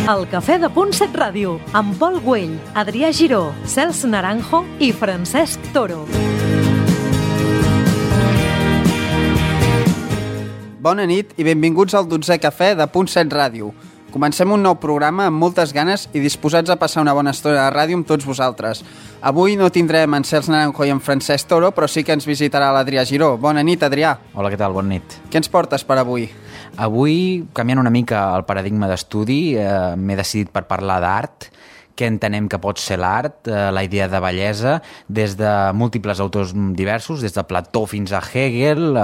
El Cafè de Punt 7 Ràdio, amb Pol Güell, Adrià Giró, Cels Naranjo i Francesc Toro. Bona nit i benvinguts al 12è Cafè de Punt 7 Ràdio. Comencem un nou programa amb moltes ganes i disposats a passar una bona estona de ràdio amb tots vosaltres. Avui no tindrem en Cels Naranjo i en Francesc Toro, però sí que ens visitarà l'Adrià Giró. Bona nit, Adrià. Hola, què tal? Bona nit. Què ens portes per avui? Avui, canviant una mica el paradigma d'estudi, m'he decidit per parlar d'art, què entenem que pot ser l'art, la idea de bellesa, des de múltiples autors diversos, des de Plató fins a Hegel,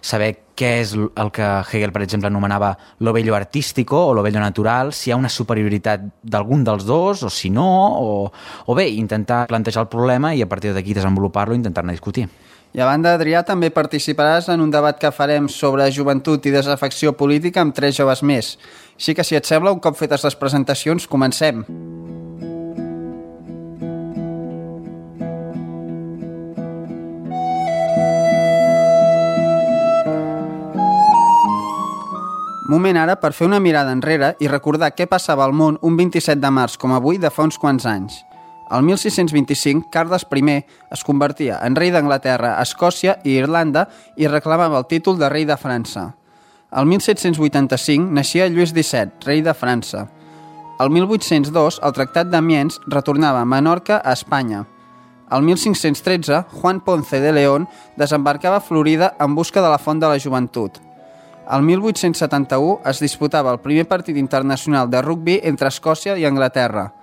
saber què és el que Hegel, per exemple, anomenava lo bello artístico o lo bello natural, si hi ha una superioritat d'algun dels dos, o si no, o bé, intentar plantejar el problema i a partir d'aquí desenvolupar-lo i intentar-ne discutir. I a banda, Adrià, també participaràs en un debat que farem sobre joventut i desafecció política amb 3 joves més. Així que, si et sembla, un cop fetes les presentacions, comencem. Moment ara per fer una mirada enrere i recordar què passava al món un 27 de març com avui de fa uns quants anys. El 1625, Carles I es convertia en rei d'Anglaterra, Escòcia i Irlanda i reclamava el títol de rei de França. El 1785 naixia Lluís XVII, rei de França. El 1802, el Tractat d'Amiens retornava Menorca a Espanya. El 1513, Juan Ponce de León desembarcava a Florida en busca de la Font de la Joventut. El 1871 es disputava el primer partit internacional de rugbi entre Escòcia i Anglaterra.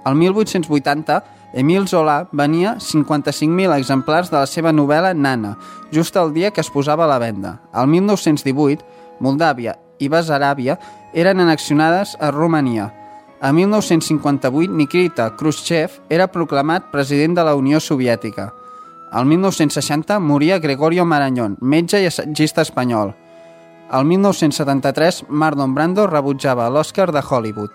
El 1880, Émile Zola venia 55.000 exemplars de la seva novel·la Nana, just el dia que es posava a la venda. El 1918, Moldàvia i Bessaràbia eren annexionades a Romania. A 1958, Nikita Khrushchev era proclamat president de la Unió Soviètica. El 1960 moria Gregorio Marañón, metge i assagista espanyol. El 1973, Marlon Brando rebutjava l'Oscar de Hollywood.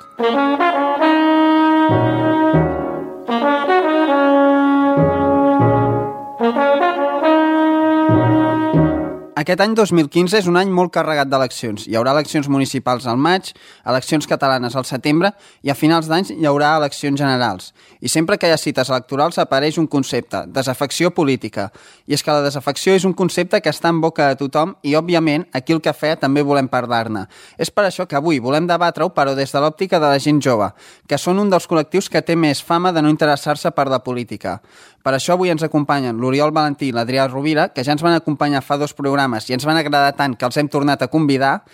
Aquest any 2015 és un any molt carregat d'eleccions. Hi haurà eleccions municipals al maig, eleccions catalanes al setembre i a finals d'any hi haurà eleccions generals. I sempre que hi ha cites electorals apareix un concepte, desafecció política. I és que la desafecció és un concepte que està en boca de tothom i, òbviament, aquí al Cafè també volem parlar-ne. És per això que avui volem debatre-ho, però des de l'òptica de la gent jove, que són un dels col·lectius que té més fama de no interessar-se per la política. Per això avui ens acompanyen l'Oriol Valentí i l'Adrià Rovira, que ja ens van acompanyar fa 2 programes i ens van agradar tant que els hem tornat a convidar,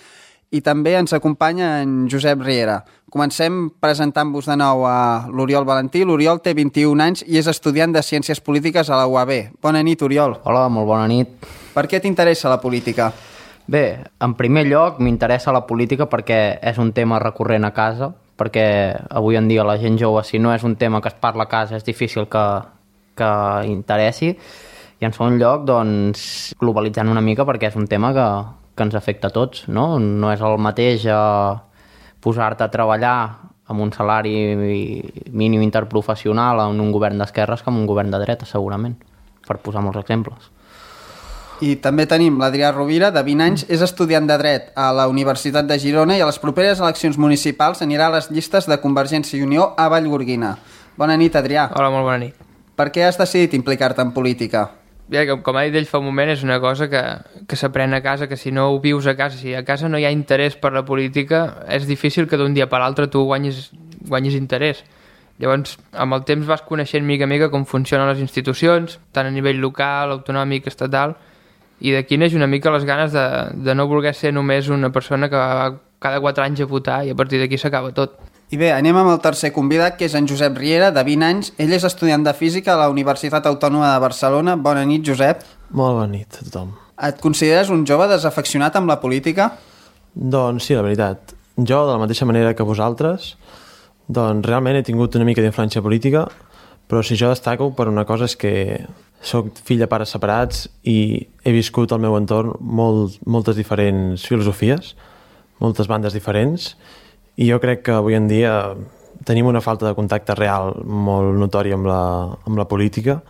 i també ens acompanya en Josep Riera. Comencem presentant-vos de nou a l'Oriol Valentí. L'Oriol té 21 anys i és estudiant de Ciències Polítiques a la UAB. Bona nit, Oriol. Hola, molt bona nit. Per què t'interessa la política? Bé, en primer lloc m'interessa la política perquè és un tema recurrent a casa, perquè avui en dia la gent jove, si no és un tema que es parla a casa, és difícil que interessi. I en segon lloc, doncs, globalitzant una mica perquè és un tema que ens afecta a tots, no? No és el mateix posar-te a treballar amb un salari mínim interprofessional en un govern d'esquerres que en un govern de dreta, segurament, per posar molts exemples. I també tenim l'Adrià Rovira, de 20 anys, és estudiant de dret a la Universitat de Girona i a les properes eleccions municipals anirà a les llistes de Convergència i Unió a Vallgorguina. Bona nit, Adrià. Hola, molt bona nit. Per què has decidit implicar-te en política? Bé, com ha dit ell fa un moment, és una cosa que s'aprèn a casa, que si no ho vius a casa, si a casa no hi ha interès per la política, és difícil que d'un dia per l'altre tu guanyis interès. Llavors, amb el temps vas coneixent mica a mica com funcionen les institucions, tant a nivell local, autonòmic, estatal, i d'aquí neix una mica les ganes de no voler ser només una persona que va cada 4 anys a votar i a partir d'aquí s'acaba tot. I bé, anem amb el tercer convidat, que és en Josep Riera, de 20 anys. Ell és estudiant de Física a la Universitat Autònoma de Barcelona. Bona nit, Josep. Molt bona nit a tothom. Et consideres un jove desafeccionat amb la política? Doncs sí, la veritat. Jo, de la mateixa manera que vosaltres, doncs realment he tingut una mica d'influència política, però si jo destaco per una cosa és que soc fill de pares separats i he viscut al meu entorn moltes diferents filosofies, moltes bandes diferents, i jo crec que avui en dia tenim una falta de contacte real molt notòria amb la política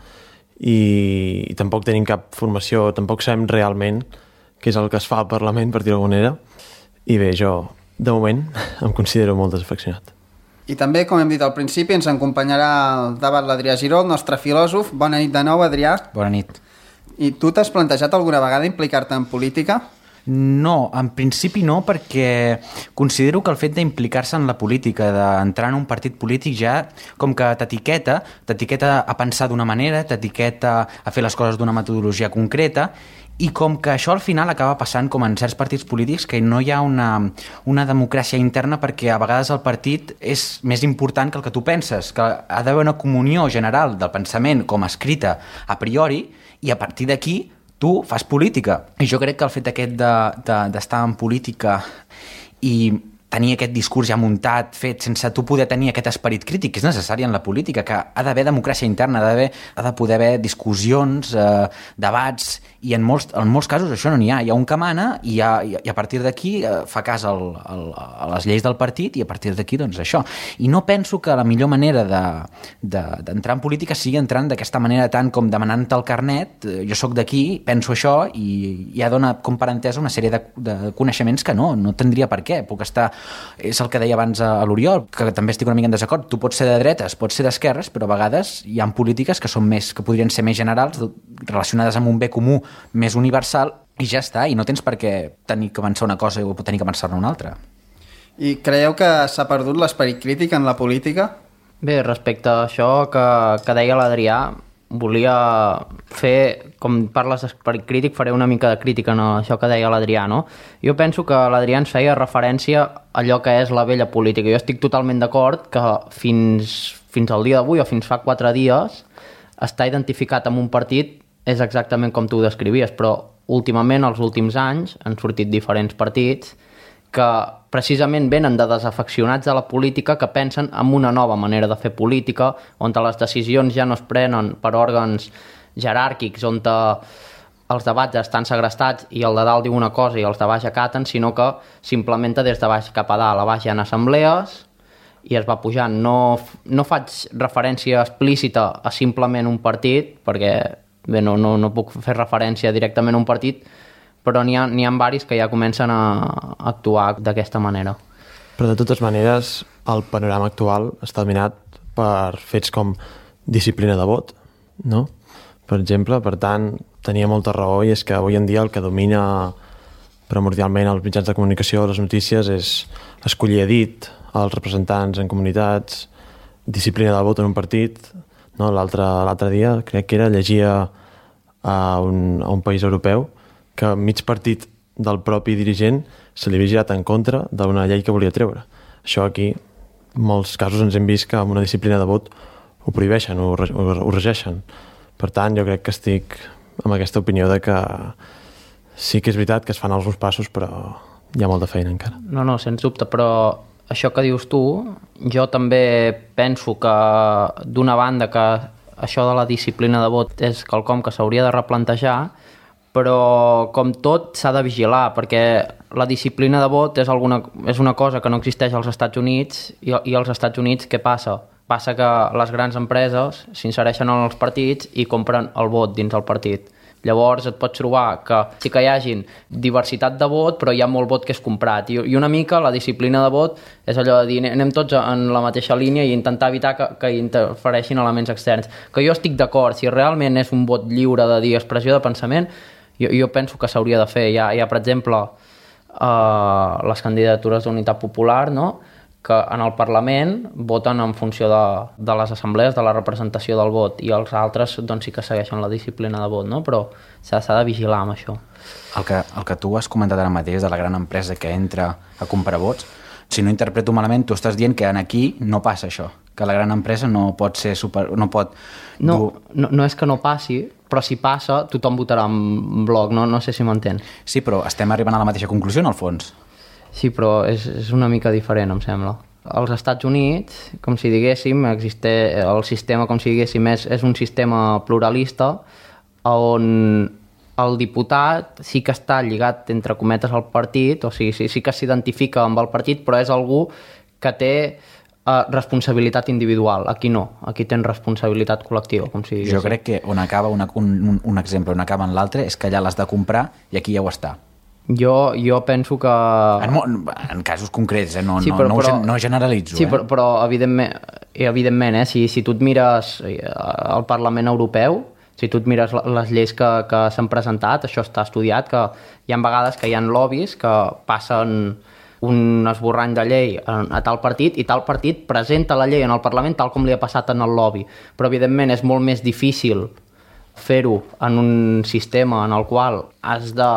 i tampoc tenim cap formació, tampoc sabem realment què és el que es fa al Parlament, per dir-ho d'alguna manera. I bé, jo, de moment, em considero molt desafeccionat. I també, com hem dit al principi, ens acompanyarà al debat l'Adrià Giró, el nostre filòsof. Bona nit de nou, Adrià. Bona nit. I tu t'has plantejat alguna vegada implicar-te en política? No, en principi no, perquè considero que el fet d'implicar-se en la política, d'entrar en un partit polític ja com que t'etiqueta a pensar d'una manera, t'etiqueta a fer les coses d'una metodologia concreta, i com que això al final acaba passant com en certs partits polítics que no hi ha una democràcia interna, perquè a vegades el partit és més important que el que tu penses, que ha d'haver una comunió general del pensament com escrita a priori, i a partir d'aquí tu fas política. I jo crec que el fet aquest d'estar en política i tenir aquest discurs ja muntat, fet, sense tu poder tenir aquest esperit crític, que és necessari en la política, que ha d'haver democràcia interna, ha de poder haver discussions, debats, i en molts casos això no n'hi ha. Hi ha un que mana i a partir d'aquí fa cas a les lleis del partit, i a partir d'aquí doncs això. I no penso que la millor manera d'entrar en política sigui entrant d'aquesta manera, tant com demanant-te el carnet, jo sóc d'aquí, penso això, i ja dona com per entesa una sèrie de coneixements que no tindria per què. Puc estar, és el que deia abans a l'Oriol, que també estic una mica en desacord, tu pots ser de dretes, pots ser d'esquerres, però a vegades hi ha polítiques que podrien ser més generals, relacionades amb un bé comú més universal, i ja està, i no tens per què tenir que pensar una cosa o tenir que pensar-ne una altra. I creieu que s'ha perdut l'esperit crític en la política? Bé, respecte a això que deia l'Adrià, volia fer, com parles d'esperit crític, faré una mica de crítica en això que deia l'Adrià, no? Jo penso que l'Adrià ens feia referència a allò que és la vella política. Jo estic totalment d'acord que fins al dia d'avui o fins fa 4 dies estar identificat amb un partit és exactament com tu ho descrivies, però últimament, els últims anys, han sortit diferents partits que precisament venen de desafeccionats de la política, que pensen en una nova manera de fer política, on les decisions ja no es prenen per òrgans jeràrquics, on els debats estan segrestats i el de dalt diu una cosa i els de baix acaten, sinó que s'implementa des de baix cap a dalt. A baix hi ha assemblees i es va pujant. No faig referència explícita a simplement un partit, perquè bé, no puc fer referència directament a un partit, però n'hi ha varis que ja comencen a actuar d'aquesta manera. Però de totes maneres, el panorama actual està dominat per fets com disciplina de vot, no? Per exemple, per tant, tenia molta raó, i és que avui en dia el que domina primordialment els mitjans de comunicació, les notícies, és escollir a dit els representants en comunitats, disciplina del vot en un partit, no? L'altre dia, crec que llegia a un país europeu que mig partit del propi dirigent se li havia girat en contra d'una llei que volia treure. Això aquí, en molts casos ens hem vist que amb una disciplina de vot ho prohibeixen, ho regeixen. Per tant, jo crec que estic amb aquesta opinió de que sí que és veritat que es fan alguns passos, però hi ha molta feina encara. No, sens dubte, però això que dius tu, jo també penso que d'una banda que això de la disciplina de vot és quelcom que s'hauria de replantejar, però com tot s'ha de vigilar, perquè la disciplina de vot és una cosa que no existeix als Estats Units, i als Estats Units què passa? Passa que les grans empreses s'insereixen en els partits i compren el vot dins del partit. Llavors et pots trobar que sí que hi hagin diversitat de vot, però hi ha molt vot que és comprat. I una mica la disciplina de vot és allò de dir anem tots en la mateixa línia i intentar evitar que interfereixin elements externs. Que jo estic d'acord, si realment és un vot lliure de dir expressió de pensament, jo penso que s'hauria de fer. Hi ha per exemple, les candidatures d'Unitat Popular, no?, que en el Parlament voten en funció de les assemblees, de la representació del vot, i els altres doncs, sí que segueixen la disciplina de vot, no? Però s'ha de vigilar amb això. El que tu has comentat ara mateix de la gran empresa que entra a comprar vots, si no interpreto malament, tu estàs dient que aquí no passa això, que la gran empresa no pot ser No és que no passi, però si passa tothom votarà en bloc, no sé si m'entén. Sí, però estem arribant a la mateixa conclusió en el fons. Sí, però és una mica diferent, em sembla. Als Estats Units, com si diguéssim, el sistema, com si diguéssim, és un sistema pluralista on el diputat sí que està lligat, entre cometes, al partit, o sigui, sí que s'identifica amb el partit, però és algú que té responsabilitat individual. Aquí no, aquí tens responsabilitat col·lectiva, com si diguéssim. Jo crec que on acaba un exemple, on acaba en l'altre, és que allà l'has de comprar i aquí ja ho està. Jo penso que... En casos concrets, no generalitzo. Sí, però evidentment, si tu et mires el Parlament Europeu, si tu et mires les lleis que s'han presentat, això està estudiat, que hi ha vegades que hi ha lobbies que passen un esborrany de llei a tal partit i tal partit presenta la llei en el Parlament tal com li ha passat en el lobby. Però, evidentment, és molt més difícil fer-ho en un sistema en el qual has de,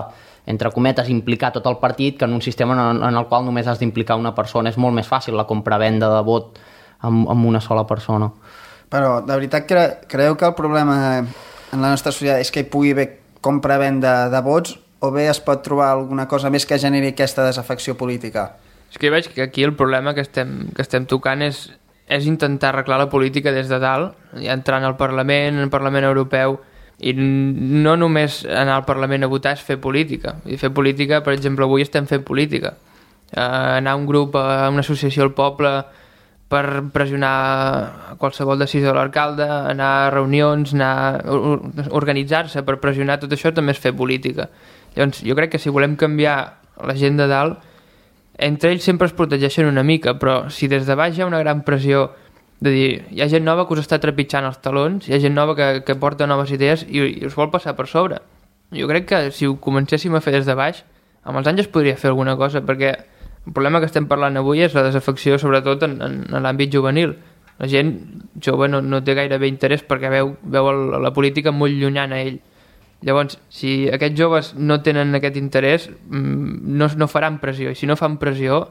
entre cometes, implicar tot el partit que en un sistema en el qual només has d'implicar una persona. És molt més fàcil la compra-venda de vot amb una sola persona. Però, de veritat, creieu que el problema en la nostra societat és que hi pugui haver compra-venda de vots o bé es pot trobar alguna cosa més que generi aquesta desafecció política? És que jo veig que aquí el problema que estem tocant és intentar arreglar la política des de dalt, ja entrant al Parlament, al Parlament Europeu, i no només anar al Parlament a votar és fer política. I fer política, per exemple, avui estem fent política. Anar a un grup, a una associació al poble per pressionar qualsevol decisió de l'alcalde, anar a reunions, organitzar-se per pressionar, tot això també és fer política. Llavors, jo crec que si volem canviar la gent de dalt, entre ells sempre es protegeixen una mica, però si des de baix hi ha una gran pressió de dir, hi ha gent nova que us està trepitjant els talons, hi ha gent nova que porta noves idees i us vol passar per sobre. Jo crec que si ho comencéssim a fer des de baix, amb els anys es podria fer alguna cosa, perquè el problema que estem parlant avui és la desafecció, sobretot en l'àmbit juvenil. La gent jove no té gairebé interès perquè veu la política molt llunyana a ell. Llavors, si aquests joves no tenen aquest interès, no faran pressió, i si no fan pressió,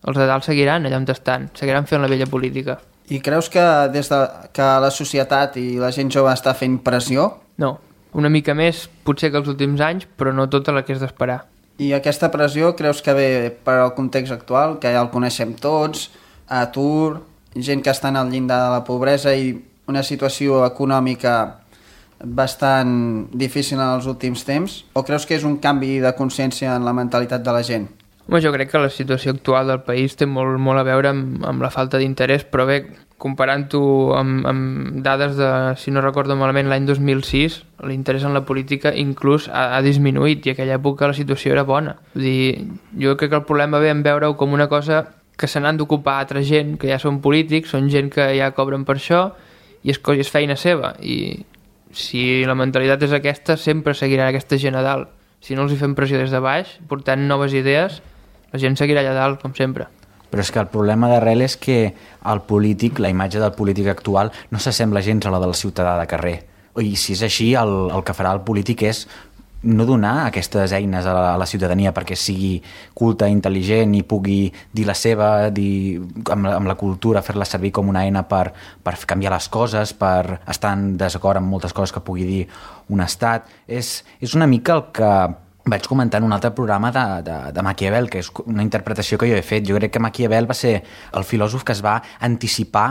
els de dalt seguiran allà on estan, seguiran fent la vella política. I creus que des que la societat i la gent jove està fent pressió? No, una mica més potser que els últims anys, però no tota la que és d'esperar. I aquesta pressió creus que ve per al context actual, que ja el coneixem tots, atur, gent que està al llindar de la pobresa i una situació econòmica bastant difícil en els últims temps? O creus que és un canvi de consciència en la mentalitat de la gent? Home, jo crec que la situació actual del país té molt a veure amb la falta d'interès, però bé, comparant-ho amb dades de, si no recordo malament, l'any 2006, l'interès en la política inclús ha disminuït i en aquella època la situació era bona. Vull dir, jo crec que el problema ve en veure-ho com una cosa que se n'han d'ocupar altra gent, que ja són polítics, són gent que ja cobren per això i és feina seva. I si la mentalitat és aquesta, sempre seguirà aquesta gent a dalt. Si no els hi fem pressió des de baix, portant noves idees, la gent seguirà allà dalt, com sempre. Però és que el problema d'arrel és que el polític, la imatge del polític actual, no s'assembla gens a la del ciutadà de carrer. I si és així, el que farà el polític és no donar aquestes eines a la ciutadania perquè sigui culta, intel·ligent i pugui dir la seva, dir amb la cultura, fer-la servir com una eina per canviar les coses, per estar en desacord amb moltes coses que pugui dir un estat. És una mica el que vaig comentar en un altre programa de Maquiavel, que és una interpretació que jo he fet. Jo crec que Maquiavel va ser el filòsof que es va anticipar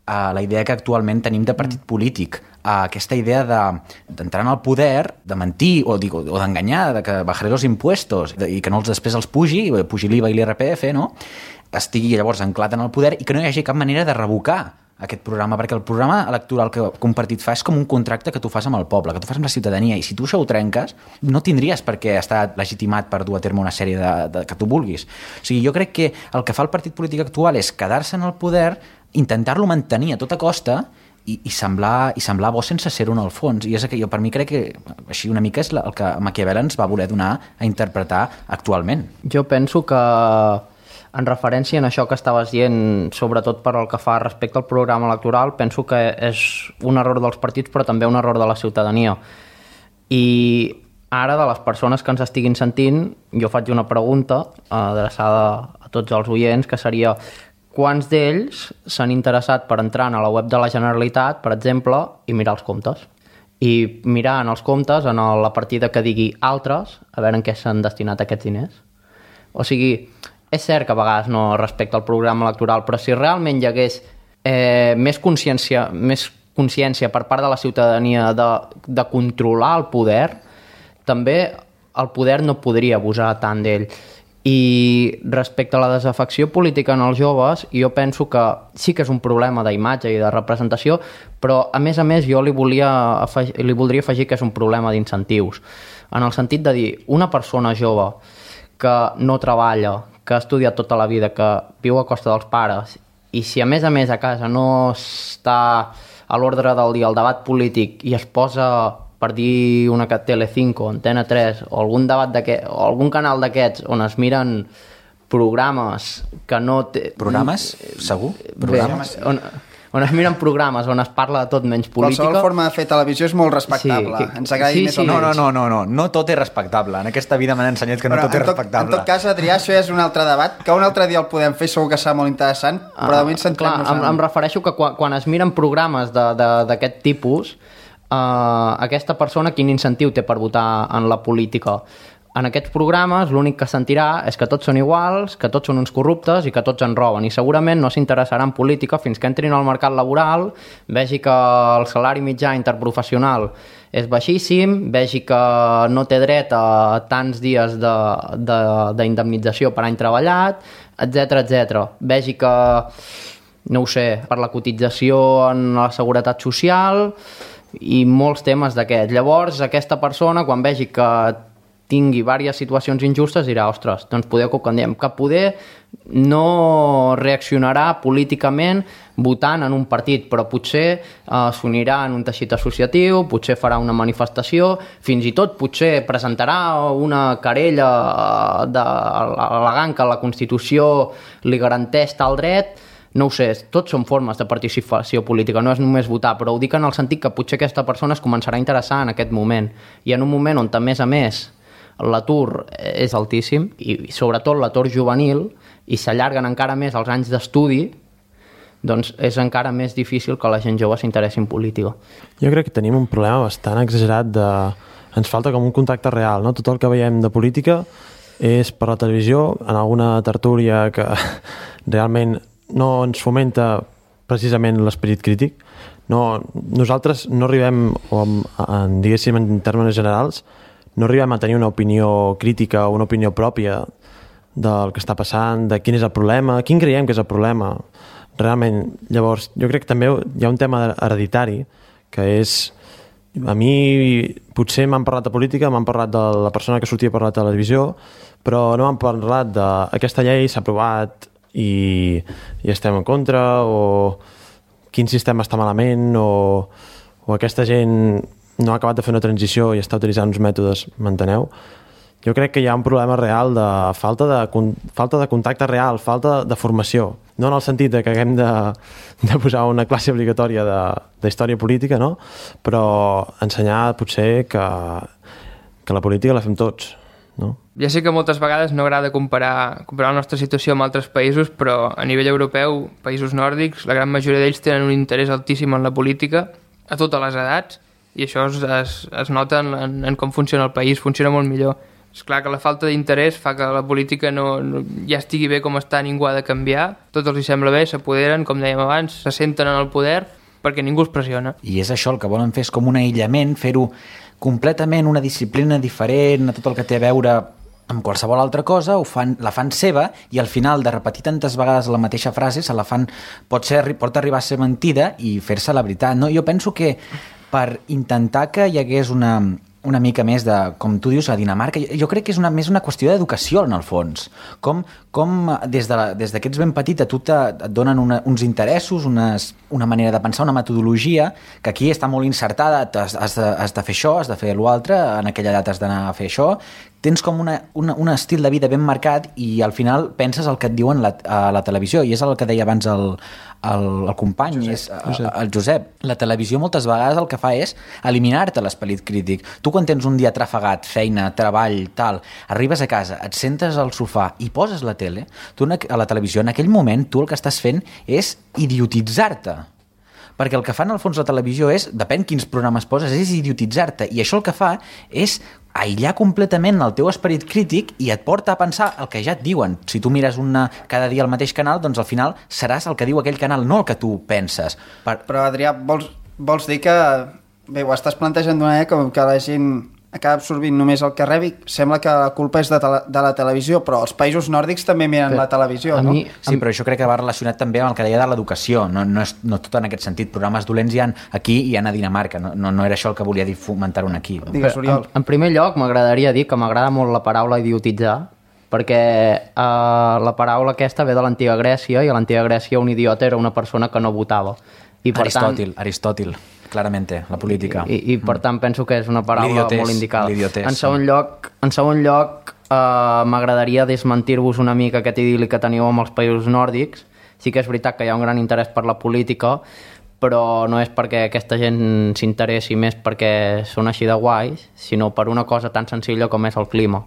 a la idea que actualment tenim de partit polític, a aquesta idea d'entrar en el poder, de mentir o d'enganyar, de que bajaré los impuestos i que no després els pugi l'IVA i l'IRPF, no? Estigui llavors anclat en el poder i que no hi hagi cap manera de revocar aquest programa, perquè el programa electoral que un partit fa és com un contracte que tu fas amb el poble, que tu fas amb la ciutadania, i si tu això ho trenques, no tindries per què estar legitimat per dur a terme una sèrie que tu vulguis. O sigui, jo crec que el que fa el partit polític actual és quedar-se en el poder, intentar-lo mantenir a tota costa i semblar bo sense ser-ho en el fons. I és que jo per mi crec que així una mica és el que Maquiavel ens va voler donar a interpretar actualment. Jo penso que en referència a això que estaves dient, sobretot per el que fa respecte al programa electoral, penso que és un error dels partits però també un error de la ciutadania. I ara, de les persones que ens estiguin sentint, jo faig una pregunta adreçada a tots els oients, que seria: quants d'ells s'han interessat per entrar a la web de la Generalitat, per exemple, i mirar els comptes? I mirar en els comptes, en la partida que digui altres, a veure en què s'han destinat aquests diners. O sigui, és cert que a vegades no respecta el programa electoral, però si realment hi hagués més consciència per part de la ciutadania de controlar el poder, també el poder no podria abusar tant d'ell. I respecte a la desafecció política en els joves, jo penso que sí que és un problema d'imatge i de representació, però a més jo li voldria afegir que és un problema d'incentius, en el sentit de dir, una persona jove que no treballa, que ha estudiat tota la vida, que viu a costa dels pares, i si a més a casa no està a l'ordre del dia el debat polític i es posa, per dir una Telecinco, Antena 3 o algun debat o algun canal d'aquests on es miren programes que no... Programes? Segur? Programes? Bé, on es miren programes on es parla de tot menys política. Qualsevol forma de fer televisió és molt respectable. Ens agradi més o menys. No tot és respectable. En aquesta vida m'han ensenyat que no tot és respectable. En tot cas, Adrià, això ja és un altre debat, que un altre dia el podem fer, segur que serà molt interessant, però de moment centrem-nos en... Em refereixo que quan es miren programes d'aquest tipus, aquesta persona quin incentiu té per votar en la política? En aquests programes l'únic que sentirà és que tots són iguals, que tots són uns corruptes i que tots en roben, i segurament no s'interessarà en política fins que entrin al mercat laboral, vegi que el salari mitjà interprofessional és baixíssim, vegi que no té dret a tants dies d'indemnització per any treballat, etc. Vegi que, no ho sé, per la cotització en la seguretat social i molts temes d'aquests. Llavors, aquesta persona, quan vegi que tingui diverses situacions injustes, dirà, ostres, doncs poder que ho canviem, que poder no reaccionarà políticament votant en un partit, però potser s'unirà en un teixit associatiu, potser farà una manifestació, fins i tot potser presentarà una querella al·legant que la Constitució li garanteix tal dret. No ho sé, tots són formes de participació política, no és només votar, però ho dic en el sentit que potser aquesta persona es començarà a interessar en aquest moment, i en un moment on, a més, l'atur és altíssim, i sobretot l'atur juvenil, i s'allarguen encara més els anys d'estudi, doncs és encara més difícil que la gent jove s'interessi en política. Jo crec que tenim un problema bastant exagerat de... Ens falta com un contacte real, no? Tot el que veiem de política és per la televisió, en alguna tertúlia que realment no ens fomenta precisament l'esperit crític. Nosaltres no arribem, diguéssim, en termes generals, no arribem a tenir una opinió crítica o una opinió pròpia del que està passant, de quin és el problema, quin creiem que és el problema. Realment, llavors, jo crec que també hi ha un tema hereditari, que és... A mi potser m'han parlat de política, m'han parlat de la persona que sortia per la televisió, però no m'han parlat d'aquesta llei s'ha aprovat i estem en contra, o quin sistema està malament, o aquesta gent no ha acabat de fer una transició i està utilitzant uns mètodes, m'enteneu? Jo crec que hi ha un problema real de falta de contacte real, falta de formació. No en el sentit que haguem de posar una classe obligatòria de història política, no? Però ensenyar potser que la política la fem tots, no? Ja sé que moltes vegades no agrada comparar la nostra situació amb altres països, però a nivell europeu, països nòrdics, la gran majoria d'ells tenen un interès altíssim en la política, a totes les edats, i això es nota en com funciona el país, funciona molt millor. És clar que la falta d'interès fa que la política no ja estigui bé com està, ningú ha de canviar, tot els hi sembla bé, s'apoderen, com dèiem abans, se senten en el poder perquè ningú els pressiona. I és això, el que volen fer és com un aïllament, fer-ho completament una disciplina diferent a tot el que té a veure amb qualsevol altra cosa, la fan seva, i al final de repetir tantes vegades la mateixa frase pot arribar a ser mentida i fer-se la veritat. No? Jo penso que per intentar que hi hagués una mica més de, com tu dius, a Dinamarca, jo crec que és més una qüestió d'educació, en el fons. Com des que ets ben petit a tu et donen uns interessos, una manera de pensar, una metodologia, que aquí està molt insertada, has de fer això, has de fer l'altre, en aquella edat has d'anar a fer això. Tens com un estil de vida ben marcat i al final penses el que et diuen a la televisió, i és el que deia abans el company, el Josep. La televisió moltes vegades el que fa és eliminar-te l'esperit crític. Tu quan tens un dia trafegat, feina, treball, tal, arribes a casa, et sentes al sofà i poses la tele, tu a la televisió, en aquell moment tu el que estàs fent és idiotitzar-te. Perquè el que fa en el fons la televisió és, depèn quins programes poses, és idiotitzar-te, i això el que fa és aïllar completament el teu esperit crític i et porta a pensar el que ja et diuen. Si tu mires cada dia el mateix canal, doncs al final seràs el que diu aquell canal, no el que tu penses. Però, Adrià, vols dir que... Bé, ho estàs plantejant d'una manera com que la gent acaba absorbint només el que rebi. Sembla que la culpa és de la televisió, però els països nòrdics també miren la televisió, no? Sí, però això crec que va relacionat també amb el que deia de l'educació. No tot en aquest sentit. Programes dolents hi ha aquí i hi ha a Dinamarca. No era això el que volia dir, fomentar-ho aquí. Digues, Oriol. En primer lloc, m'agradaria dir que m'agrada molt la paraula idiotitzar, perquè la paraula aquesta ve de l'antiga Grècia, i a l'antiga Grècia un idiota era una persona que no votava. I per Aristòtil, clarament, la política. I per tant penso que és una paraula molt indicada. L'idiotés. En segon lloc m'agradaria desmentir-vos una mica aquest idil·li que teniu amb els països nòrdics. Sí que és veritat que hi ha un gran interès per la política, però no és perquè aquesta gent s'interessi més perquè són així de guais, sinó per una cosa tan senzilla com és el clima.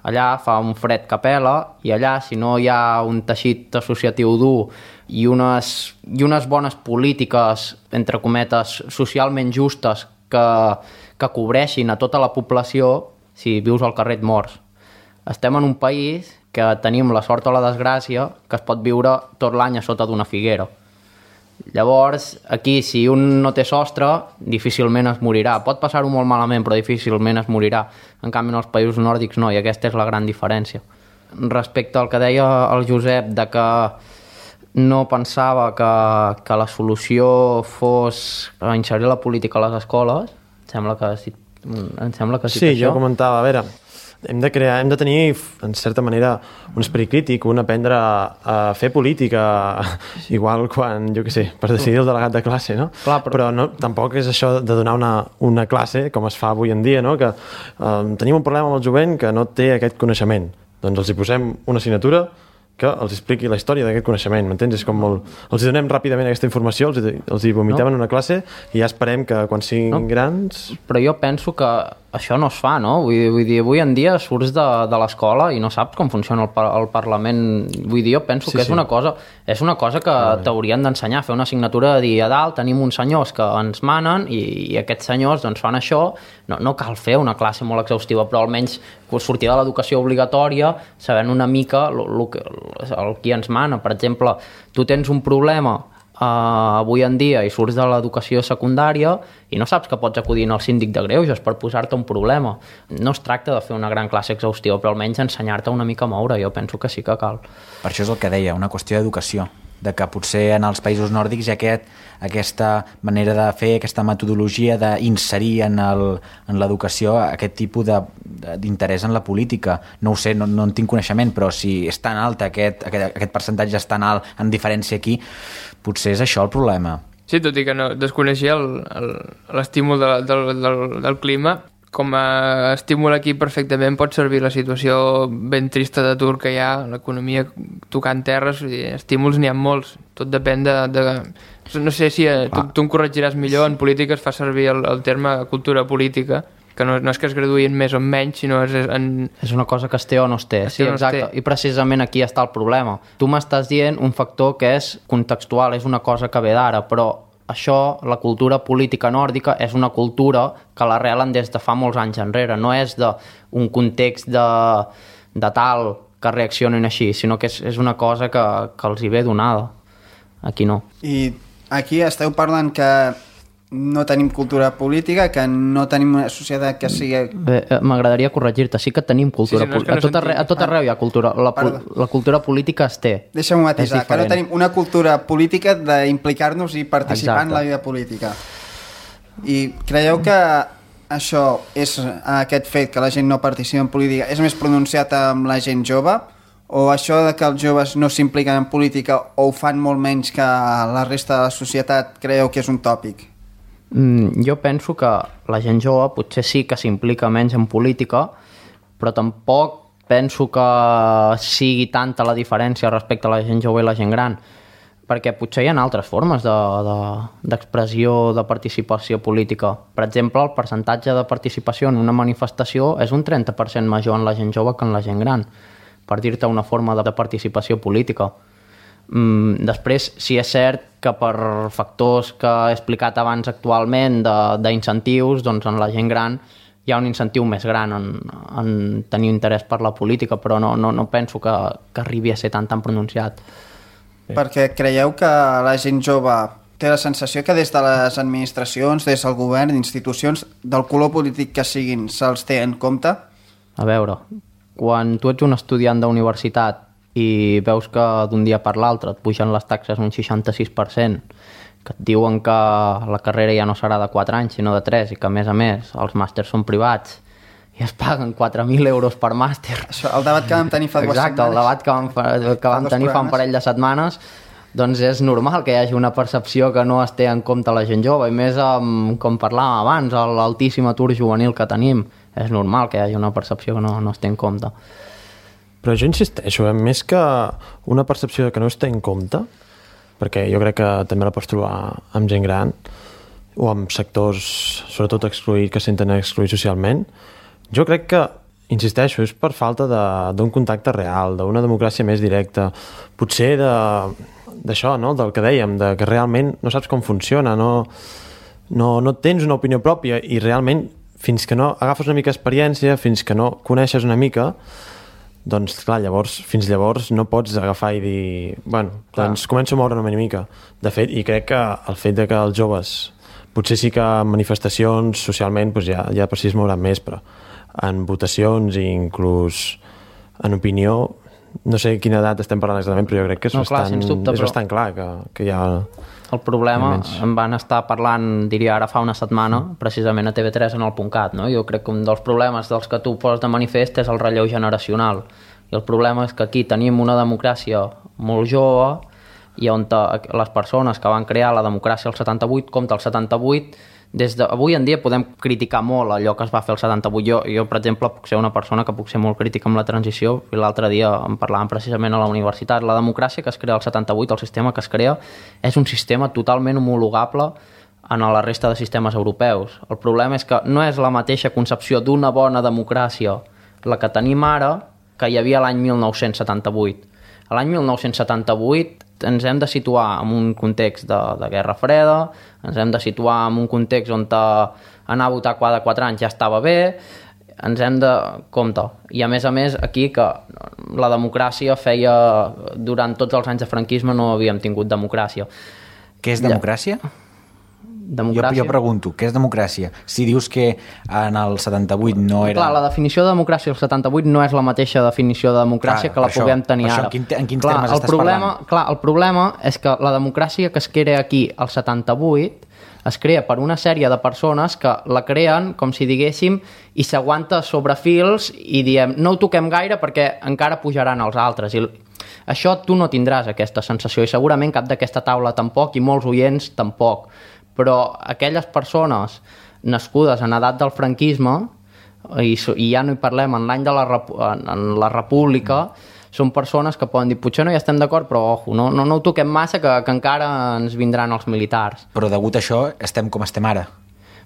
Allà fa un fred que pela, i allà, si no hi ha un teixit associatiu dur i unes bones polítiques, entre cometes, socialment justes que cobreixin a tota la població, si vius al carrer et mors. Estem en un país que tenim la sort o la desgràcia que es pot viure tot l'any a sota d'una figuera. Llavors, aquí, si un no té sostre, difícilment es morirà. Pot passar-ho molt malament, però difícilment es morirà. En canvi, en els països nòrdics no, i aquesta és la gran diferència. Respecte al que deia el Josep, de que no pensava que la solució fos inserir la política a les escoles, em sembla que sí, sí, jo comentava, a veure, hem de tenir, en certa manera, un esperit crític, un aprendre a fer política, igual quan, jo què sé, per decidir el delegat de classe, no? Clar, però no, tampoc és això de donar una classe, com es fa avui en dia, no? Que tenim un problema amb el jovent que no té aquest coneixement. Doncs els hi posem una assignatura que els expliqui la història d'aquest coneixement, m'entens? És com molt... Els hi donem ràpidament aquesta informació, els hi vomitem en una classe i ja esperem que quan siguin grans... Però jo penso que això no es fa, no? Vull dir, avui en dia surts de l'escola i no saps com funciona el Parlament. Vull dir, jo penso que és una cosa que t'haurien d'ensenyar, fer una assignatura de dir a dalt tenim uns senyors que ens manen i aquests senyors doncs fan això. No cal fer una classe molt exhaustiva, però almenys sortir de l'educació obligatòria sabent una mica el qui ens mana. Per exemple, tu tens un problema avui en dia i surts de l'educació secundària i no saps que pots acudir al síndic de greuges per posar-te un problema. No es tracta de fer una gran classe exhaustiva, però almenys ensenyar-te una mica a moure. Jo penso que sí que cal. Per això és el que deia, una qüestió d'educació, de que potser en els països nòrdics hi ha aquesta manera de fer, aquesta metodologia d'inserir en l'educació aquest tipus d'interès en la política. No ho sé, no en tinc coneixement, però si és tan alt aquest percentatge és tan alt en diferència aquí, potser és això el problema. Sí, tot i que no desconeixia l'estímul del clima. Com a estímul aquí perfectament pot servir la situació ben trista d'atur que hi ha, l'economia tocant terres, estímuls n'hi ha molts, tot depèn de... No sé si tu em corregiràs millor, en política es fa servir el terme cultura política, que no és que es graduïn més o menys, sinó és una cosa que es té o no es té. Sí, exacte. I precisament aquí està el problema. Tu m'estàs dient un factor que és contextual, és una cosa que ve d'ara, però això, la cultura política nòrdica, és una cultura que l'arrelen des de fa molts anys enrere. No és d'un context de tal que reaccionin així, sinó que és una cosa que els hi ve donada. Aquí no. I aquí esteu parlant que no tenim cultura política, que no tenim una societat que sigui... M'agradaria corregir-te, sí que tenim cultura política. A tot arreu hi ha cultura. La cultura política es té. Deixa'm matisar, que no tenim una cultura política d'implicar-nos i participar en la vida política. I creieu que això és aquest fet que la gent no participa en política és més pronunciat amb la gent jove? O això de que els joves no s'impliquen en política o ho fan molt menys que la resta de la societat creieu que és un tòpic? Jo penso que la gent jove potser sí que s'implica menys en política, però tampoc penso que sigui tanta la diferència respecte a la gent jove i la gent gran, perquè potser hi ha altres formes d'expressió de participació política. Per exemple, el percentatge de participació en una manifestació és un 30% major en la gent jove que en la gent gran, per dir-te una forma de participació política. Després, sí és cert que per factors que he explicat abans actualment d'incentius, doncs en la gent gran hi ha un incentiu més gran en tenir interès per la política, però no penso que arribi a ser tan pronunciat. Perquè creieu que la gent jove té la sensació que des de les administracions, des del govern, institucions, del color polític que siguin, se'ls té en compte? A veure, quan tu ets un estudiant d'universitat i veus que d'un dia per l'altre et pugen les taxes un 66%, que et diuen que la carrera ja no serà de 4 anys sinó de 3 i que a més els màsters són privats i es paguen 4.000 euros per màster. Això, el debat que vam tenir fa 2 setmanes. Exacte, el debat que vam tenir fa un parell de setmanes, doncs és normal que hi hagi una percepció que no es té en compte la gent jove, i més com parlàvem abans, l'altíssim atur juvenil que tenim. És normal que hi hagi una percepció que no es té en compte. Però jo insisteixo, més que una percepció que no es té en compte, perquè jo crec que també la pots trobar amb gent gran o amb sectors, sobretot excluïts, que se senten excluïts socialment, jo crec que, insisteixo, és per falta d'un contacte real, d'una democràcia més directa, potser d'això, no? Del que dèiem, de que realment no saps com funciona, no tens una opinió pròpia i realment fins que no agafes una mica d'experiència, fins que no coneixes una mica, doncs clar, fins llavors no pots agafar i dir, bueno, doncs començo a moure una mica. De fet, i crec que el fet de que els joves potser sí que en manifestacions socialment doncs ja per si es mouran més, però en votacions i inclús en opinió, no sé quina edat estem parlant exactament, però jo crec que és bastant clar que hi ha... El problema, en van estar parlant, diria ara fa una setmana, precisament a TV3 en el .cat, no? Jo crec que un dels problemes dels que tu poses de manifest és el relleu generacional. I el problema és que aquí tenim una democràcia molt jove i on les persones que van crear la democràcia al 78, compte el 78, avui en dia podem criticar molt allò que es va fer al 78. Jo, per exemple, puc ser una persona que puc ser molt crítica amb la transició, i l'altre dia en parlàvem precisament a la universitat. La democràcia que es crea al 78, el sistema que es crea, és un sistema totalment homologable a la resta de sistemes europeus. El problema és que no és la mateixa concepció d'una bona democràcia la que tenim ara que hi havia l'any 1978. A l'any 1978 ens hem de situar en un context de Guerra Freda, ens hem de situar en un context on anar a votar cada 4 anys ja estava bé, ens hem de... compte. I a més, aquí que la democràcia feia... Durant tots els anys de franquisme no havíem tingut democràcia. Què és democràcia? Democràcia. Jo pregunto, què és democràcia? Si dius que en el 78 no era... Clar, la definició de democràcia al 78 no és la mateixa definició de democràcia que la puguem tenir ara. En quins termes estàs parlant? Clar, el problema és que la democràcia que es crea aquí al 78 es crea per una sèrie de persones que la creen, com si diguéssim, i s'aguanta sobre fils i diem, no ho toquem gaire perquè encara pujaran els altres. I això tu no tindràs aquesta sensació i segurament cap d'aquesta taula tampoc i molts oients tampoc. Però aquelles persones nascudes en edat del franquisme, i ja no hi parlem en l'any de la República, són persones que poden dir, potser no hi estem d'acord, però ojo, no ho toquem massa que encara ens vindran els militars. Però degut a això estem com estem ara.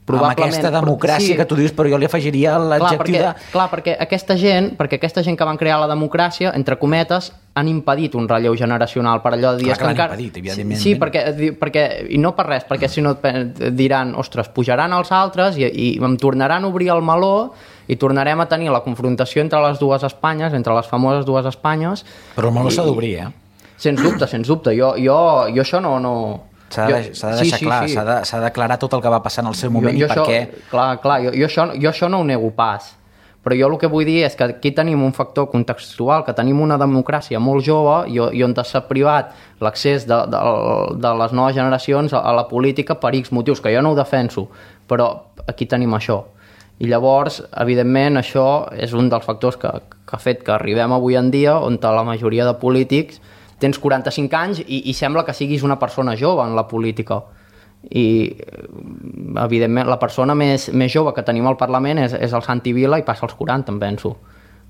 Amb aquesta democràcia que tu dius, però jo li afegiria l'adjectiu de... Clar, perquè aquesta gent que van crear la democràcia, entre cometes, han impedit un relleu generacional per allò de dir... Clar que l'han impedit, evidentment. Sí, perquè, i no per res, perquè si no diran, ostres, pujaran els altres i em tornaran a obrir el meló i tornarem a tenir la confrontació entre les dues Espanyes, entre les famoses dues Espanyes... Però el meló s'ha d'obrir, Sens dubte. Jo això no... S'ha de deixar clar, s'ha d'aclarar tot el que va passar en el seu moment i per què... Clar, jo això no ho nego pas, però jo el que vull dir és que aquí tenim un factor contextual, que tenim una democràcia molt jove i on s'ha privat l'accés de les noves generacions a la política per X motius, que jo no ho defenso, però aquí tenim això. I llavors, evidentment, això és un dels factors que ha fet que arribem avui en dia on la majoria de polítics tens 45 anys i sembla que siguis una persona jove en la política. I, evidentment, la persona més jove que tenim al Parlament és el Santi Vila i passa als 40, em penso.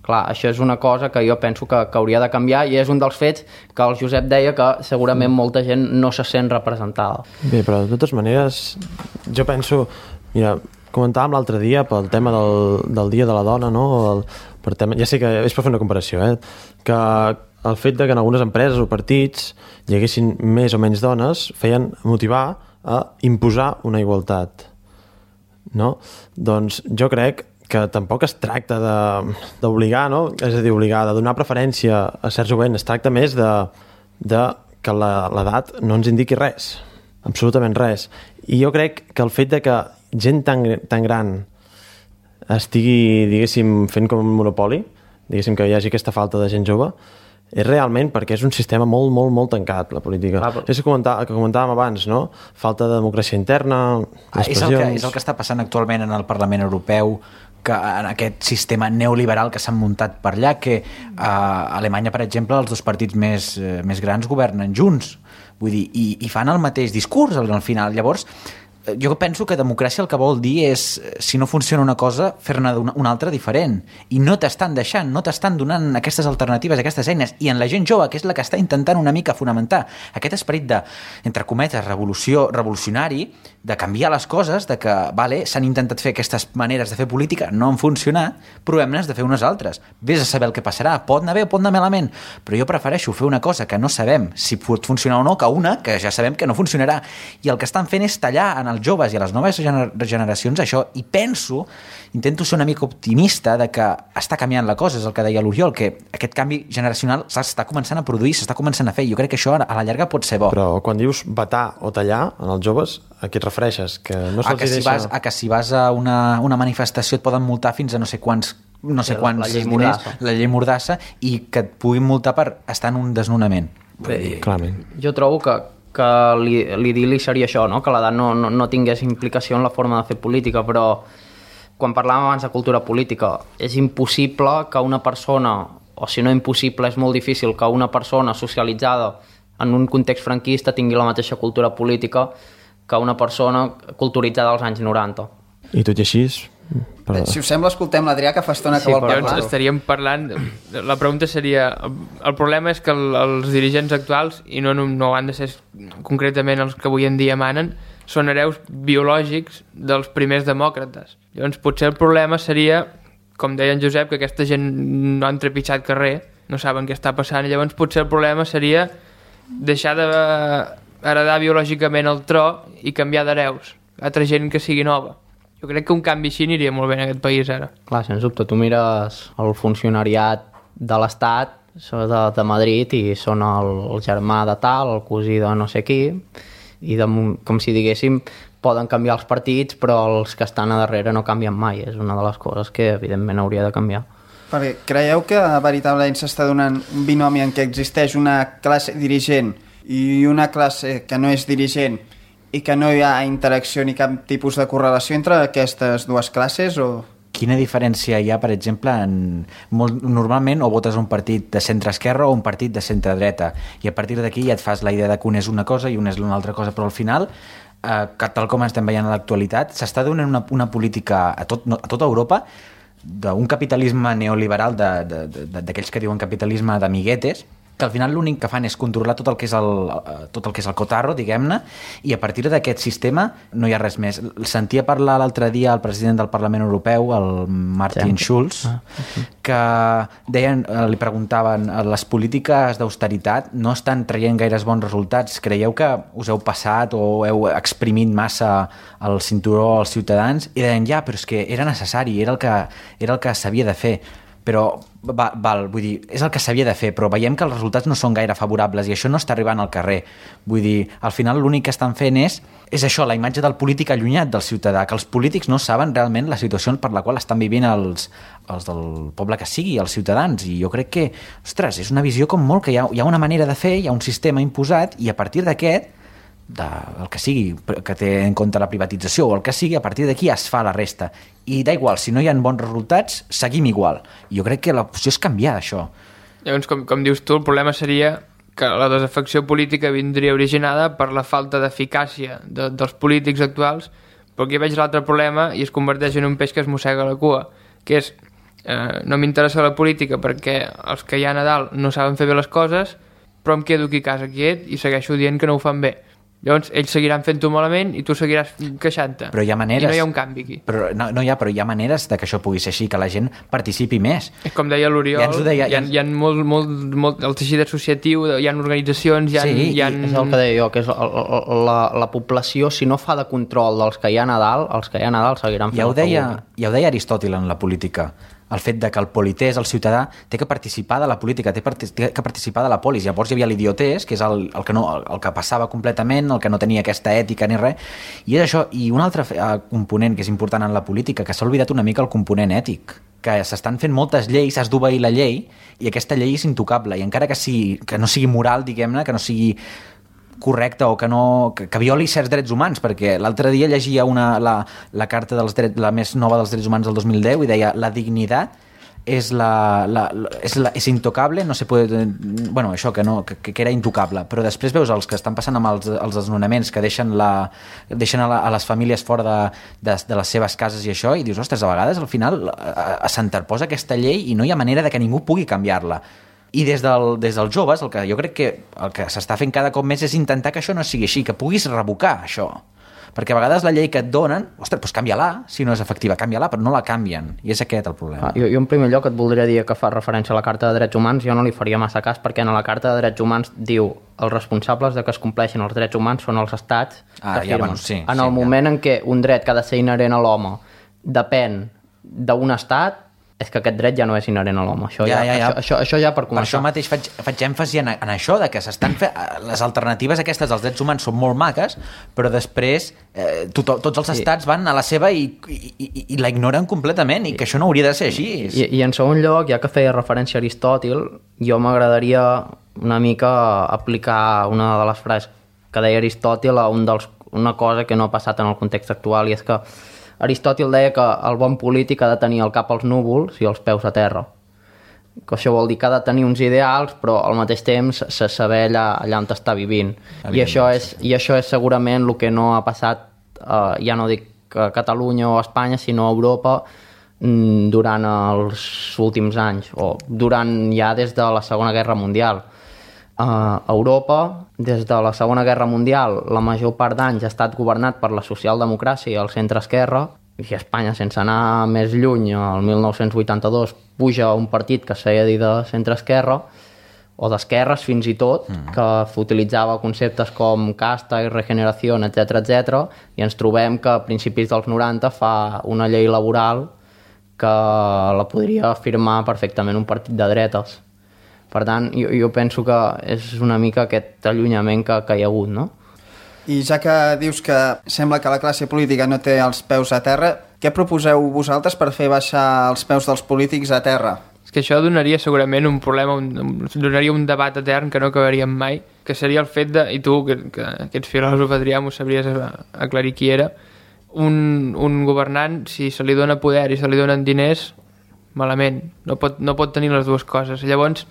Clar, això és una cosa que jo penso que hauria de canviar i és un dels fets que el Josep deia que segurament molta gent no se sent representada. Bé, però de totes maneres, jo penso... Mira, comentàvem l'altre dia pel tema del Dia de la Dona, no? Ja sé que és per fer una comparació, que el fet de que en algunes empreses o partits hi haguessin més o menys dones feien motivar a imposar una igualtat, no? Doncs jo crec que tampoc es tracta d'obligar, no? És a dir, obligar, de donar preferència a certs jovents, es tracta més de que l'edat no ens indiqui res, absolutament res. I jo crec que el fet de que gent tan gran estigui, diguéssim, fent com un monopoli, diguéssim que hi hagi aquesta falta de gent jove, és realment perquè és un sistema molt, molt, molt tancat, la política. És que comentàvem abans, no? Falta de democràcia interna, és el que està passant actualment en el Parlament Europeu, que en aquest sistema neoliberal que s'han muntat per allà, que a Alemanya, per exemple, els dos partits més grans governen junts, vull dir, i fan el mateix discurs al final. Llavors, jo penso que democràcia el que vol dir és, si no funciona una cosa, fer-ne una altra diferent. I no t'estan deixant, no t'estan donant aquestes alternatives, aquestes eines. I en la gent jove, que és la que està intentant una mica fonamentar aquest esperit de, entre cometes, revolucionari, de canviar les coses, de que, vale, s'han intentat fer aquestes maneres de fer política, no han funcionat, provem-nes de fer unes altres. Vés a saber el que passarà. Pot anar bé o pot anar malament, però jo prefereixo fer una cosa que no sabem si pot funcionar o no, que una que ja sabem que no funcionarà. I el que estan fent és tallar en els joves i a les noves generacions això, i intento ser una mica optimista de que està canviant la cosa, és el que deia l'Oriol, que aquest canvi generacional s'està començant a produir, s'està començant a fer, jo crec que això a la llarga pot ser bo. Però quan dius vetar o tallar en els joves, a què et refereixes? Que no se'ls deixa... que si vas a una manifestació et poden multar fins a no sé quants la llei Mordassa. La llei Mordassa, i que et puguin multar per estar en un desnonament. Clarament. Jo trobo que l'idili seria això, no? Que l'edat no tingués implicació en la forma de fer política, però quan parlàvem abans de cultura política, és impossible que una persona, o si no impossible, és molt difícil que una persona socialitzada en un context franquista tingui la mateixa cultura política que una persona culturitzada als anys 90. I tot i així... Si us sembla, escoltem l'Adrià, que fa estona que vol parlar. Llavors estaríem parlant... La pregunta seria... El problema és que els dirigents actuals, i no han de ser concretament els que avui en dia manen, són hereus biològics dels primers demòcrates. Llavors potser el problema seria, com deia en Josep, que aquesta gent no han trepitjat carrer, no saben què està passant, i llavors potser el problema seria deixar d'heredar biològicament el tro i canviar d'hereus. Altra gent que sigui nova. Jo crec que un canvi així aniria molt bé en aquest país ara. Clar, sens dubte, tu mires el funcionariat de l'Estat de Madrid i són el germà de tal, el cosí de no sé qui, i com si diguéssim poden canviar els partits, però els que estan a darrere no canvien mai. És una de les coses que evidentment hauria de canviar. Perquè creieu que veritablement s'està donant un binomi en què existeix una classe dirigent i una classe que no és dirigent i que no hi ha interacció ni cap tipus de correlació entre aquestes dues classes? O... Quina diferència hi ha, per exemple, normalment o votes un partit de centre-esquerra o un partit de centre-dreta, i a partir d'aquí ja et fas la idea de que un és una cosa i un és una altra cosa, però al final, que tal com estem veient a l'actualitat, s'està donant una política a tota Europa d'un capitalisme neoliberal, d'aquells que diuen capitalisme d'amiguetes, que al final l'únic que fan és controlar tot el que és el cotarro, diguem-ne, i a partir d'aquest sistema no hi ha res més. Sentia parlar l'altre dia el president del Parlament Europeu, el Martin Schulz, que deien, li preguntaven, les polítiques d'austeritat no estan traient gaires bons resultats, creieu que us heu passat o heu exprimit massa el cinturó als ciutadans? I deien, ja, però és que era necessari, era el que s'havia de fer. Però, vull dir, és el que s'havia de fer, però veiem que els resultats no són gaire favorables i això no està arribant al carrer. Vull dir, al final l'únic que estan fent és això, la imatge del polític allunyat del ciutadà, que els polítics no saben realment la situació per la qual estan vivint els del poble que sigui, els ciutadans, i jo crec que, ostres, és una visió com molt que hi ha una manera de fer, hi ha un sistema imposat, i a partir d'aquest, el que sigui, que té en compte la privatització o el que sigui, a partir d'aquí es fa la resta, i da igual, si no hi ha bons resultats seguim igual. Jo crec que l'opció és canviar això. Llavors, com dius tu, el problema seria que la desafecció política vindria originada per la falta d'eficàcia dels polítics actuals, però aquí veig l'altre problema i es converteix en un peix que es mossega la cua, que és no m'interessa la política perquè els que hi ha a Nadal no saben fer bé les coses, però em quedo aquí a casa quiet i segueixo dient que no ho fan bé. Llavors ells seguiran fent-ho malament i tu seguiràs queixant-te. Però hi ha maneres... I no hi ha un canvi aquí. Però hi ha maneres de que això pugui ser així, que la gent participi més. És com deia l'Oriol, hi ha molt el teixit associatiu, hi ha organitzacions, hi ha... És el que deia jo, que és la població, si no fa de control dels que hi ha a Nadal, els que hi ha a Nadal seguiran fent el que vulguin. Ja ho deia Aristòtil en la política, el fet de que el polités, el ciutadà, té que participar de la política, té que participar de la polis. Llavors hi havia l'idiotès, que és el que passava completament, el que no tenia aquesta ètica ni res, i és això. I un altre component que és important en la política, que s'ha oblidat una mica el component ètic, que s'estan fent moltes lleis, has d'obeir la llei, i aquesta llei és intocable, i encara que no sigui moral, diguem-ne, que no sigui correcte o que violi certs drets humans, perquè l'altre dia llegia la carta dels drets, la més nova dels drets humans del 2010 i deia la dignitat és intocable, no se puede... Bueno, això, que era intocable, però després veus els que estan passant amb els desnonaments, que deixen a les famílies fora de les seves cases i això, i dius, ostres, a vegades al final s'interposa aquesta llei i no hi ha manera de que ningú pugui canviar-la. I des dels joves, el que jo crec que el que s'està fent cada cop més és intentar que això no sigui així, que puguis revocar això. Perquè a vegades la llei que et donen, ostres, doncs canvia-la, si no és efectiva, canvia-la, però no la canvien, i és aquest el problema. Jo en primer lloc et voldria dir que fa referència a la Carta de Drets Humans, jo no li faria massa cas, perquè en la Carta de Drets Humans diu els responsables de que es compleixin els drets humans són els estats que firmen. En el moment en què un dret que ha de ser inherent a l'home depèn d'un estat, és que aquest dret ja no és inherent a l'home. Això ja per començar. Per això mateix faig èmfasi en això, de que s'estan fent... Les alternatives aquestes dels drets humans són molt maques, però després tots els estats van a la seva i la ignoren completament, i que això no hauria de ser així. I en segon lloc, ja que feia referència a Aristòtil, jo m'agradaria una mica aplicar una de les frases que deia Aristòtil a una cosa que no ha passat en el context actual, i és que Aristòtil deia que el bon polític ha de tenir el cap als núvols i els peus a terra. Que això vol dir que ha de tenir uns ideals, però al mateix temps saber allà on està vivint. I això és segurament el que no ha passat, ja no dic a Catalunya o a Espanya, sinó a Europa durant els últims anys, o durant ja des de la Segona Guerra Mundial. A Europa, des de la Segona Guerra Mundial, la major part d'anys ha estat governat per la socialdemocràcia i el centre-esquerra, i a Espanya, sense anar més lluny, el 1982 puja un partit que s'ha de dir de centre-esquerra, o d'esquerres fins i tot, que utilitzava conceptes com casta i regeneració, etc, i ens trobem que a principis dels 90 fa una llei laboral que la podria firmar perfectament un partit de dretes. Per tant, jo penso que és una mica aquest allunyament que hi ha hagut, no? I ja que dius que sembla que la classe política no té els peus a terra, què proposeu vosaltres per fer baixar els peus dels polítics a terra? És que això donaria segurament un problema, donaria un debat etern que no acabaríem mai, que seria el fet de, i tu, que ets filòsof, Adrià, m'ho sabries aclarir qui era, un governant, si se li dona poder i se li donen diners, malament, no pot tenir les dues coses. Llavors,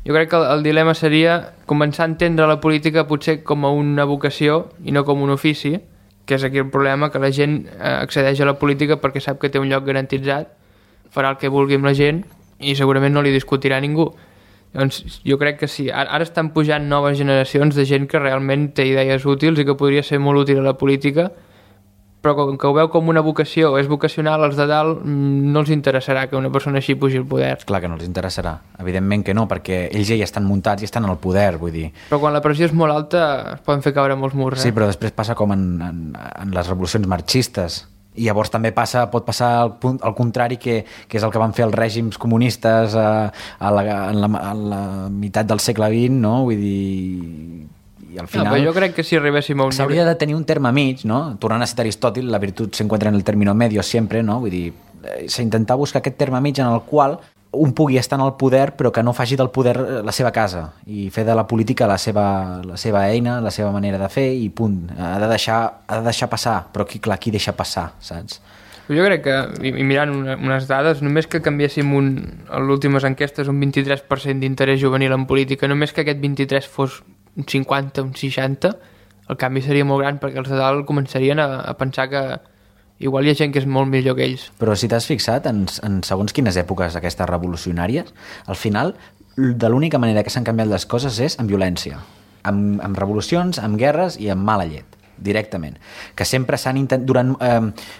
jo crec que el dilema seria començar a entendre la política potser com a una vocació i no com un ofici, que és aquí el problema, que la gent accedeix a la política perquè sap que té un lloc garantitzat, farà el que vulgui amb la gent i segurament no li discutirà ningú. Llavors, jo crec que sí. Ara estan pujant noves generacions de gent que realment té idees útils i que podria ser molt útil a la política, però com que ho veu com una vocació, és vocacional, els de dalt no els interessarà que una persona així pugi al poder. Clar que no els interessarà, evidentment que no, perquè ells ja estan muntats i estan en el poder, vull dir. Però quan la pressió és molt alta es poden fer caure molts murs. Sí, però després passa com en les revolucions marxistes. I llavors també pot passar al contrari, que és el que van fer els règims comunistes en la meitat del segle XX, no? Vull dir... I al final... No, però jo crec que si arribéssim a un s'hauria de tenir un terme mig, no? Tornant a citar Aristòtil, la virtut s'encuentra en el término medio sempre, no? Vull dir, s'intentar buscar aquest terme mig en el qual un pugui estar en el poder però que no faci del poder la seva casa i fer de la política la seva eina, la seva manera de fer i punt. Ha de deixar passar, però qui deixa passar, saps? Jo crec que, i mirant unes dades, només que canviéssim a l'últimes enquestes un 23% d'interès juvenil en política, només que aquest 23 fos un 50, un 60, el canvi seria molt gran perquè els de dalt començarien a pensar que igual hi ha gent que és molt millor que ells. Però si t'has fixat en segons quines èpoques aquestes revolucionàries, al final de l'única manera que s'han canviat les coses és amb violència, amb revolucions, amb guerres i amb mala llet, directament. Que sempre s'han intentat...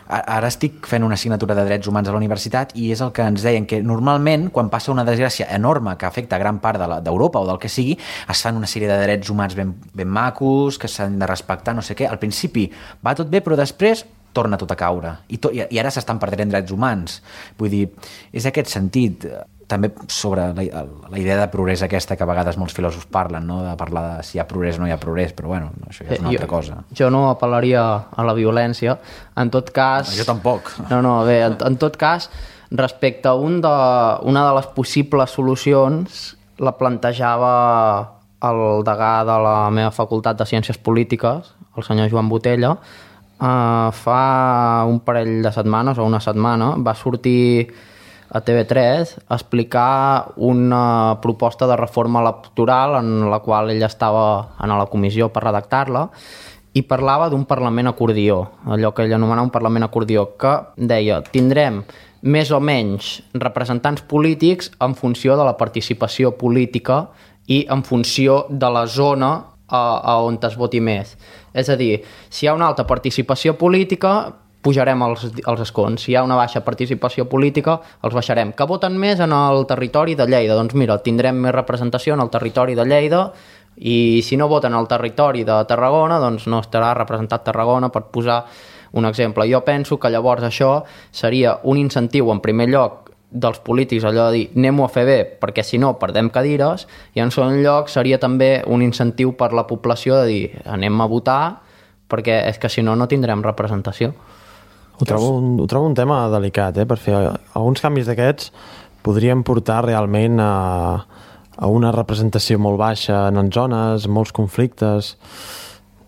ara estic fent una assignatura de drets humans a la universitat i és el que ens deien, que normalment quan passa una desgràcia enorme que afecta gran part d'Europa o del que sigui, es fan una sèrie de drets humans ben macos, que s'han de respectar, no sé què. Al principi va tot bé, però després torna tot a caure. I ara s'estan perdent drets humans. Vull dir, és aquest sentit... També sobre la idea de progrés aquesta que a vegades molts filòsofs parlen, no? De parlar de si hi ha progrés o no hi ha progrés, però bueno, això ja és una altra cosa. Jo no apel·laria a la violència. En tot cas... Jo tampoc. No, bé, en tot cas, respecte a una de les possibles solucions, la plantejava el degà de la meva facultat de Ciències Polítiques, el senyor Joan Botella, fa un parell de setmanes o una setmana va sortir a TV3 a explicar una proposta de reforma electoral en la qual ell estava en la comissió per redactar-la i parlava d'un Parlament acordió, allò que ell anomenava un Parlament acordió, que deia, tindrem més o menys representants polítics en funció de la participació política i en funció de la zona on es voti més. És a dir, si hi ha una alta participació política, pujarem els escons. Si hi ha una baixa participació política, els baixarem. Que voten més en el territori de Lleida? Doncs mira, tindrem més representació en el territori de Lleida i si no voten al territori de Tarragona, doncs no estarà representat Tarragona, per posar un exemple. Jo penso que llavors això seria un incentiu, en primer lloc, dels polítics, allò de dir anem-ho a fer bé, perquè si no perdem cadires, i en segon lloc seria també un incentiu per la població de dir anem a votar, perquè és que si no, no tindrem representació. Ho trobo un tema delicat, per fer alguns canvis d'aquests podrien portar realment a una representació molt baixa en zones, molts conflictes.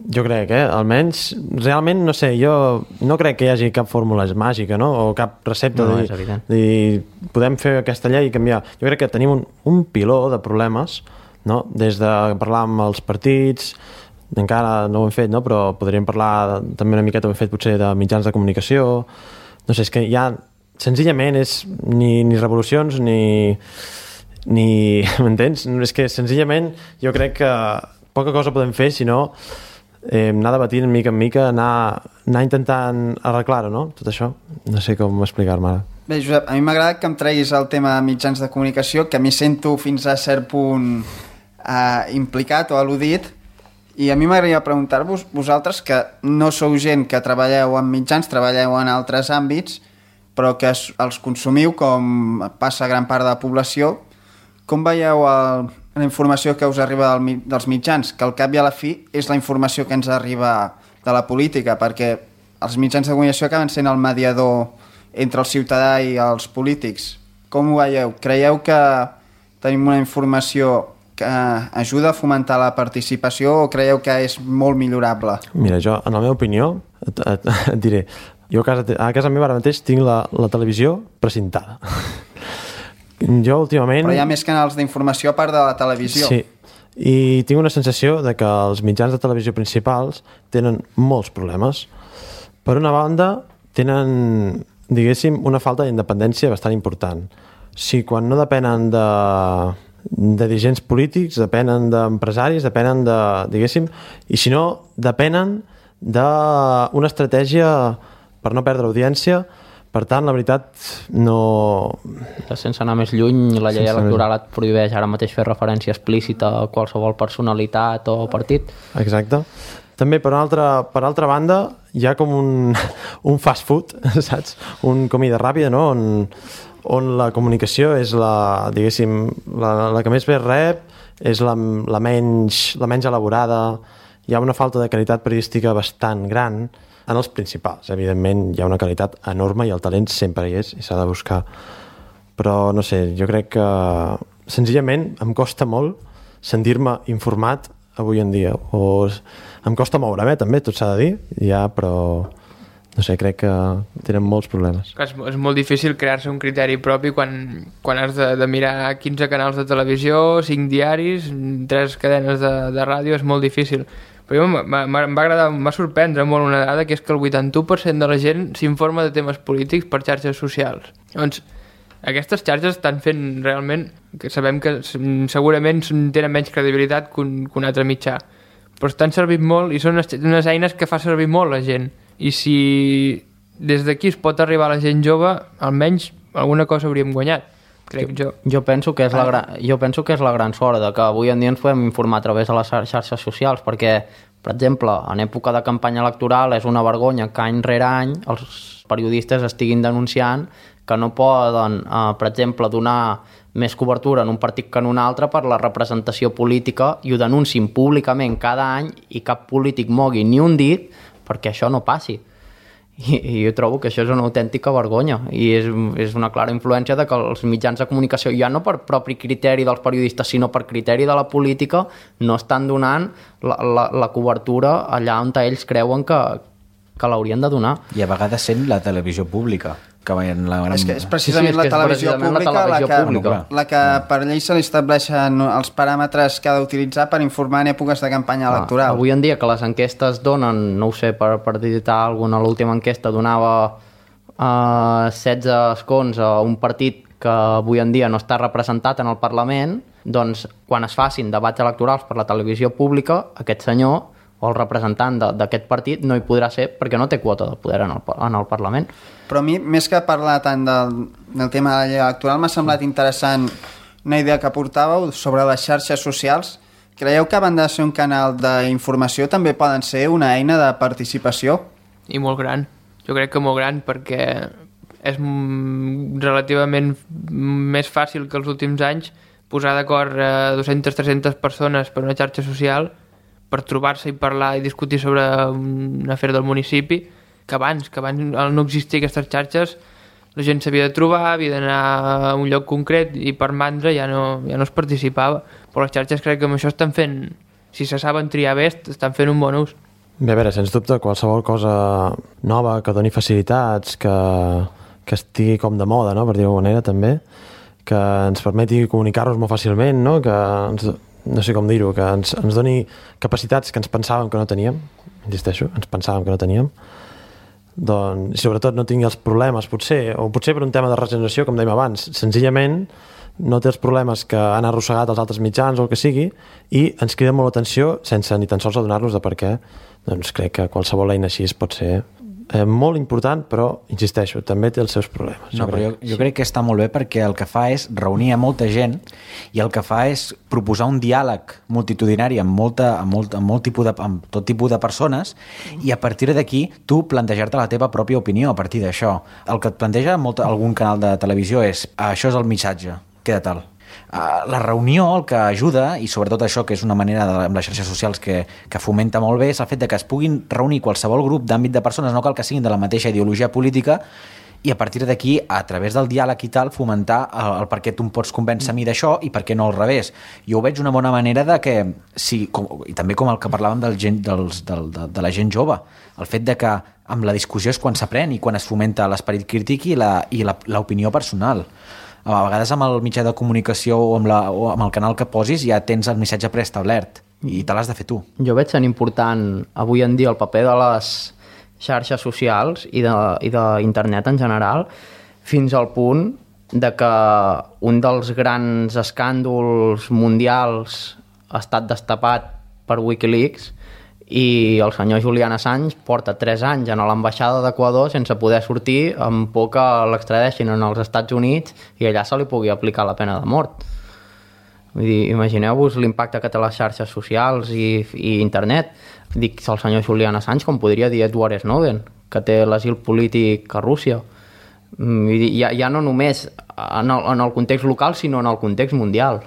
Jo crec, almenys, realment, no sé, jo no crec que hi hagi cap fórmula màgica, no? O cap recepta no, de dir, podem fer aquesta llei i canviar. Jo crec que tenim un piló de problemes, no? Des de parlar amb els partits, encara no ho hem fet, no? Però podríem parlar també una miqueta, ho hem fet potser de mitjans de comunicació, no sé, és que ja senzillament és ni revolucions ni m'entens? És que senzillament jo crec que poca cosa podem fer si no anar debatint mica en mica, anar intentant arreglar-ho, no? Tot això, no sé com explicar-me ara. Bé, Josep, a mi m'agrada que em treguis el tema de mitjans de comunicació, que m'hi sento fins a cert punt implicat o al·ludit, i a mi m'agradaria preguntar-vos, vosaltres que no sou gent que treballeu en mitjans, treballeu en altres àmbits, però que els consumiu com passa gran part de la població, com veieu la informació que us arriba dels mitjans, que al cap i a la fi és la informació que ens arriba de la política, perquè els mitjans de comunicació acaben sent el mediador entre el ciutadà i els polítics. Com ho veieu? Creieu que tenim una informació que ajuda a fomentar la participació o creieu que és molt millorable? Mira, jo, en la meva opinió, et diré, jo a casa meva ara mateix tinc la televisió precintada. Jo últimament... Però hi ha més canals d'informació a part de la televisió. Sí, i tinc una sensació de que els mitjans de televisió principals tenen molts problemes. Per una banda, tenen, diguéssim, una falta d'independència bastant important. Si quan no depenen de dirigents polítics, depenen d'empresaris, depenen de, diguéssim, i si no, depenen d'una estratègia per no perdre audiència. Per tant, la veritat, no... Sense anar més lluny, la llei electoral et prohibeix ara mateix fer referència explícita a qualsevol personalitat o partit. Exacte. També, per altra banda, hi ha com un fast food, saps? Un comida ràpida, no? On la comunicació és diguéssim, la que més bé rep, és la menys elaborada, hi ha una falta de qualitat periodística bastant gran. En els principals, evidentment, hi ha una qualitat enorme i el talent sempre hi és i s'ha de buscar. Però, no sé, jo crec que senzillament em costa molt sentir-me informat avui en dia. O em costa moure'm, també, tot s'ha de dir, ja, però no sé, crec que tenen molts problemes. És molt difícil crear-se un criteri propi quan has de mirar 15 canals de televisió, 5 diaris, 3 cadenes de ràdio, és molt difícil. Però m'ha sorprendre molt una dada, que és que el 81% de la gent s'informa de temes polítics per xarxes socials. Llavors, aquestes xarxes estan fent realment, que sabem que segurament tenen menys credibilitat que un altre mitjà, però estan servint molt i són unes eines que fa servir molt la gent. I si des d'aquí es pot arribar a la gent jove, almenys alguna cosa hauríem guanyat. Crec jo. Jo penso que és la gran sort de que avui en dia ens podem informar a través de les xarxes socials, perquè, per exemple, en època de campanya electoral és una vergonya que any rere any els periodistes estiguin denunciant que no poden, per exemple, donar més cobertura en un partit que en un altre per la representació política, i ho denuncin públicament cada any i cap polític mogui ni un dit perquè això no passi. i jo trobo que això és una autèntica vergonya i és una clara influència de que els mitjans de comunicació, ja no per propi criteri dels periodistes, sinó per criteri de la política, no estan donant la cobertura allà on ells creuen que l'haurien de donar. I a vegades sent la televisió pública. És que és precisament la televisió pública la que per llei se li estableixen els paràmetres que ha d'utilitzar per informar en èpoques de campanya electoral. Avui en dia que les enquestes donen, no ho sé, per dir-te alguna, l'última enquesta donava 16 escons a un partit que avui en dia no està representat en el Parlament, doncs quan es facin debats electorals per la televisió pública, aquest senyor o el representant d'aquest partit no hi podrà ser perquè no té quota de poder en el Parlament. Però a mi, més que parlar tant del tema de la llei electoral, m'ha semblat interessant una idea que portàveu sobre les xarxes socials. Creieu que a banda de ser un canal d'informació també poden ser una eina de participació? I molt gran. Jo crec que molt gran perquè és relativament més fàcil que els últims anys posar d'acord 200-300 persones per una xarxa social per trobar-se i parlar i discutir sobre un afer del municipi, que abans al no existir aquestes xarxes la gent s'havia de trobar, havia d'anar a un lloc concret i per mandra ja no es participava. Però les xarxes crec que amb això estan fent, si se saben triar bé, estan fent un bon ús. Bé, a veure, sens dubte, qualsevol cosa nova que doni facilitats, que estigui com de moda, no?, per dir-ho d'alguna manera, també, que ens permeti comunicar-nos molt fàcilment, no?, que no sé com dir-ho, que ens doni capacitats que ens pensàvem que no teníem, insisteixo, ens pensàvem que no teníem, doncs, sobretot no tingui els problemes, potser per un tema de regeneració, com dèiem abans, senzillament no té els problemes que han arrossegat els altres mitjans o el que sigui, i ens crida molt l'atenció sense ni tan sols adonar-nos de per què. Doncs crec que qualsevol eina així pot ser molt important, però, insisteixo, també té els seus problemes. No, però jo crec que està molt bé perquè el que fa és reunir a molta gent i el que fa és proposar un diàleg multitudinari amb tot tipus de persones i a partir d'aquí tu plantejar-te la teva pròpia opinió a partir d'això. El que et planteja algun canal de televisió és això és el missatge, queda tal. La reunió el que ajuda, i sobretot això que és una manera amb les xarxes socials que fomenta molt bé, és el fet de que es puguin reunir qualsevol grup d'àmbit de persones, no cal que siguin de la mateixa ideologia política, i a partir d'aquí, a través del diàleg i tal, fomentar el per què tu em pots convèncer a mi d'això i per què no al revés. Jo ho veig una bona manera de que, i també com el que parlàvem de la gent jove, el fet de que amb la discussió és quan s'aprèn i quan es fomenta l'esperit crític i l'opinió personal. A vegades amb el mitjà de comunicació o amb el canal que posis ja tens el missatge preestablert i te l'has de fer tu. Jo veig tan important avui en dia el paper de les xarxes socials i d'internet en general, fins al punt de que un dels grans escàndols mundials ha estat destapat per Wikileaks i el senyor Julian Assange porta 3 anys a l'ambaixada d'Equador sense poder sortir amb por que l'extradeixin als Estats Units i allà se li pugui aplicar la pena de mort. Vull dir, imagineu-vos l'impacte que té les xarxes socials i internet. Dic el senyor Julian Assange, com podria dir Edward Snowden, que té l'asil polític a Rússia. Vull dir, ja no només en el context local, sinó en el context mundial.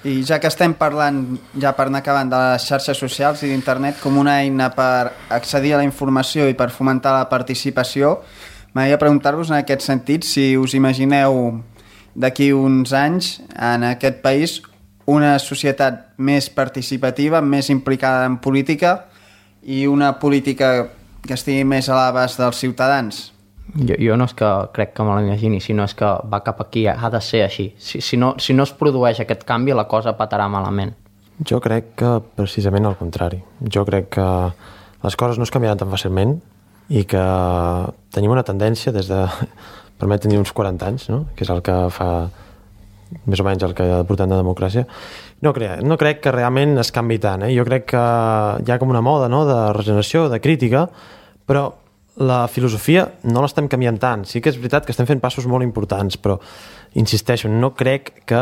I ja que estem parlant, ja per anar acabant, de les xarxes socials i d'internet com una eina per accedir a la informació i per fomentar la participació, m'agradaria preguntar-vos en aquest sentit si us imagineu d'aquí uns anys en aquest país una societat més participativa, més implicada en política i una política que estigui més a l'abast dels ciutadans. Jo no és que crec que me l'imagini, sinó és que va cap aquí, ha de ser així. Si no es produeix aquest canvi, la cosa patarà malament. Jo crec que precisament al contrari. Jo crec que les coses no es canviaran tan fàcilment i que tenim una tendència des de, permet tenir uns 40 anys, no?, que és el que fa més o menys el que portem de democràcia. No crec que realment es canvi tant. Jo crec que hi ha com una moda, no?, de regeneració, de crítica, però la filosofia no l'estem canviant tant. Sí que és veritat que estem fent passos molt importants, però insisteixo, no crec que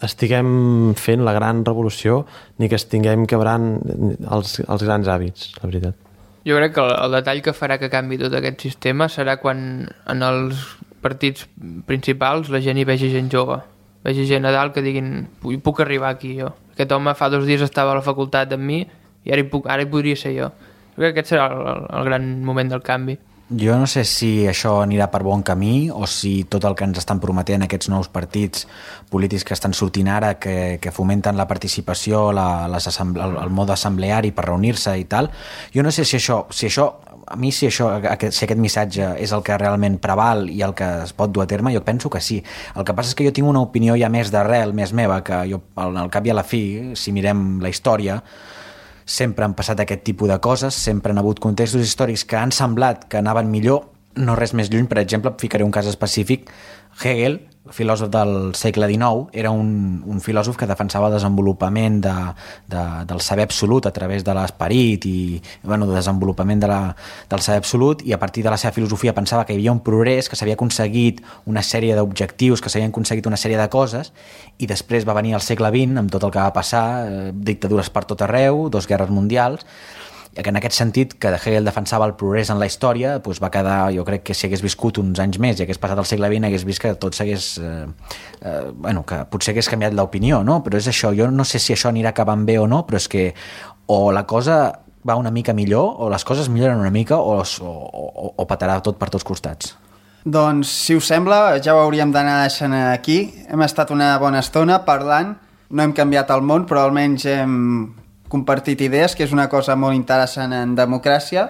estiguem fent la gran revolució ni que estiguem quebrant els grans hàbits, la veritat. Jo crec que el detall que farà que canvi tot aquest sistema serà quan en els partits principals la gent hi vegi gent jove, vegi gent a dalt que diguin puc arribar aquí jo. Aquest home fa 2 dies estava a la facultat amb mi i ara hi podria ser jo. Crec que aquest serà el gran moment del canvi. Jo no sé si això anirà per bon camí o si tot el que ens estan prometent aquests nous partits polítics que estan sortint ara, que fomenten la participació, el mode assembleari per reunir-se i tal. Jo no sé si això si aquest missatge és el que realment preval i el que es pot dur a terme, jo penso que sí. El que passa és que jo tinc una opinió ja més d'arrel, més meva, que jo, al cap i a la fi, si mirem la història, sempre han passat aquest tipus de coses, sempre han hagut contextos històrics que han semblat que anaven millor, no res més lluny. Per exemple, ficaré un cas específic. Hegel, filòsof del segle XIX, era un filòsof que defensava el desenvolupament del saber absolut a través de l'esperit i el desenvolupament del saber absolut, i a partir de la seva filosofia pensava que hi havia un progrés, que s'havia aconseguit una sèrie d'objectius, que s'havien aconseguit una sèrie de coses, i després va venir el segle XX amb tot el que va passar, dictadures per tot arreu, 2 guerres mundials, que en aquest sentit, que Hegel defensava el progrés en la història, doncs va quedar, jo crec que si hagués viscut uns anys més i hagués passat el segle XX, hagués vist que tot s'hagués... que potser hagués canviat l'opinió, no? Però és això, jo no sé si això anirà acabant bé o no, però és que o la cosa va una mica millor, o les coses milloren una mica, o petarà tot per tots costats. Doncs, si us sembla, ja ho hauríem d'anar deixant aquí. Hem estat una bona estona parlant, no hem canviat el món, però almenys hem compartit idees, que és una cosa molt interessant en democràcia,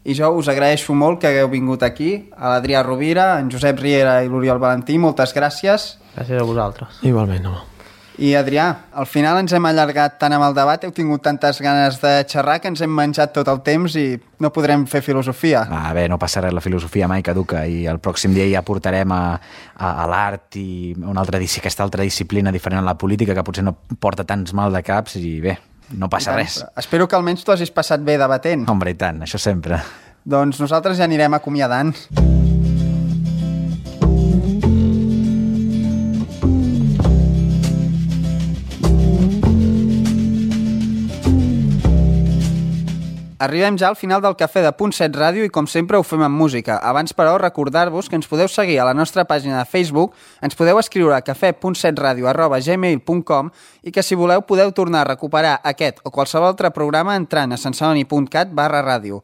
i jo us agraeixo molt que hagueu vingut aquí, a l'Adrià Rovira, en Josep Riera i l'Oriol Valentí, moltes gràcies. Gràcies a vosaltres. Igualment, home. I Adrià, al final ens hem allargat tant amb el debat, heu tingut tantes ganes de xerrar que ens hem menjat tot el temps i no podrem fer filosofia. Bé, no passa res, la filosofia mai caduca, i el pròxim dia ja portarem a l'art i aquesta altra disciplina diferent a la política, que potser no porta tants mal de caps, i bé, no passa res. Espero que almenys tu hagis passat bé debatent. Hombre, i tant, això sempre. Doncs nosaltres ja anirem acomiadant. Arribem ja al final del Cafè de Punt 7 Ràdio i com sempre ho fem amb música. Abans, però, recordar-vos que ens podeu seguir a la nostra pàgina de Facebook, ens podeu escriure a cafè.7radio@gmail.com i que si voleu podeu tornar a recuperar aquest o qualsevol altre programa entrant a sensoni.cat/ràdio.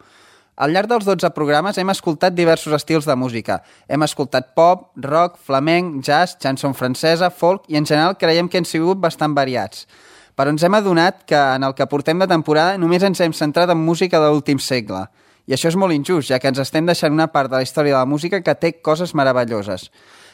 Al llarg dels 12 programes hem escoltat diversos estils de música. Hem escoltat pop, rock, flamenc, jazz, chanson francesa, folk i en general creiem que han sigut bastant variats. Però ens hem adonat que en el que portem de temporada només ens hem centrat en música de l'últim segle. I això és molt injust, ja que ens estem deixant una part de la història de la música que té coses meravelloses.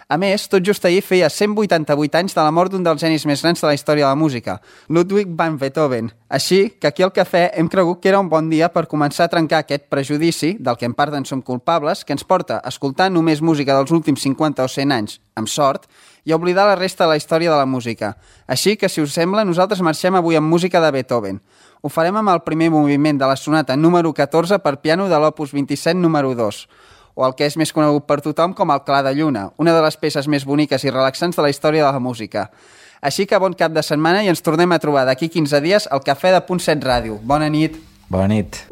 A més, tot just ahir feia 188 anys de la mort d'un dels genis més grans de la història de la música, Ludwig van Beethoven. Així que aquí al Cafè hem cregut que era un bon dia per començar a trencar aquest prejudici, del que en part en som culpables, que ens porta a escoltar només música dels últims 50 o 100 anys, amb sort, i oblidar la resta de la història de la música. Així que, si us sembla, nosaltres marxem avui amb música de Beethoven. Ho farem amb el primer moviment de la sonata número 14 per piano de l'opus 27 número 2, o el que és més conegut per tothom com el Clar de Lluna, una de les peces més boniques i relaxants de la història de la música. Així que bon cap de setmana i ens tornem a trobar d'aquí 15 dies al Cafè de Punt 7 Ràdio. Bona nit. Bona nit.